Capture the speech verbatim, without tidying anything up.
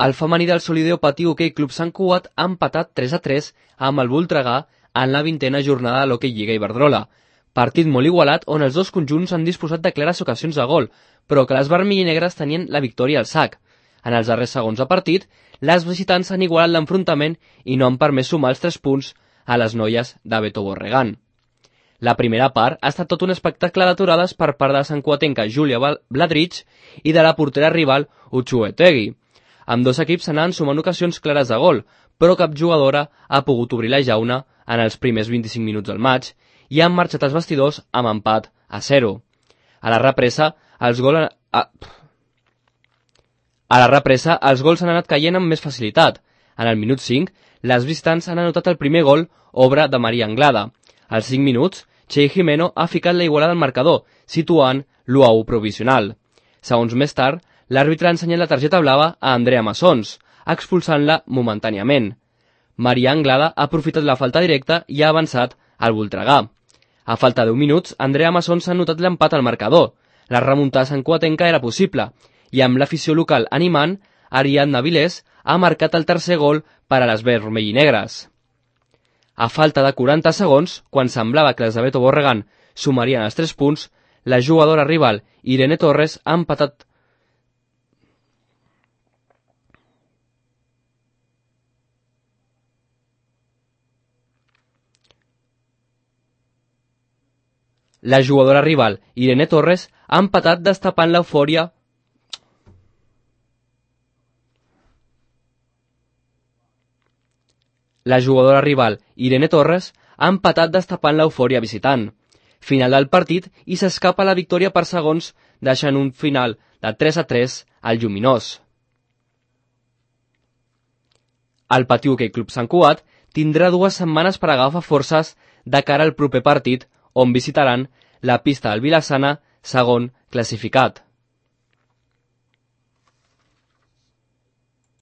El femení del Solideo Patí Hoquei Club Sant Cugat ha empatat tres a tres amb el Voltregà en la vintena jornada de l'Hoquei Lliga Iberdrola. Partit molt igualat on els dos conjunts han disposat de clares ocasions de gol, però que les vermell-i-negres tenien la victòria al sac. En els darrers segons de partit, les visitants han igualat l'enfrontament i no han permès sumar els tres punts a les noies de Beto Borregán. La primera part ha estat tot un espectacle d'aturades per part de la santcuatenca Júlia Bladrich i de la portera rival Utsuetegui. Amb dos equips s'anaven sumant ocasions clares de gol, però cap jugadora ha pogut obrir la jauna en els primers vint-i-cinc minuts del maig i han marxat als vestidors amb empat a zero. A la represa, els gols... A... a la represa, els gols han anat caient amb més facilitat. En el minut cinc, les visitants han anotat el primer gol, obra de Maria Anglada. Als cinc minuts, Txell Jimeno ha ficat la igualada al marcador, situant l'u a u provisional. Segons més tard, l'àrbitre ha ensenyat la targeta blava a Andrea Massons, expulsant-la momentàniament. Maria Anglada ha aprofitat la falta directa i ha avançat al Voltregà. A falta de deu minuts, Andrea Massons ha notat l'empat al marcador. La remuntada santcuatenca era possible, i amb l'afició local animant, Ariadna Vilés ha marcat el tercer gol per a les vermell i negres. A falta de quaranta segons, quan semblava que les de Beto Borregán sumarien els tres punts, la jugadora rival Irene Torres ha empatat La jugadora rival Irene Torres ha empatat destapant l'eufòria La jugadora rival Irene Torres ha empatat destapant l'eufòria visitant. Final del partit i s'escapa la victòria per segons, deixant un final de tres a tres al Lluminós. El Patí Hoquei Club Sant Cugat tindrà dues setmanes per agafar forces de cara al proper partit, on visitaran la pista del Vilassana, segon classificat.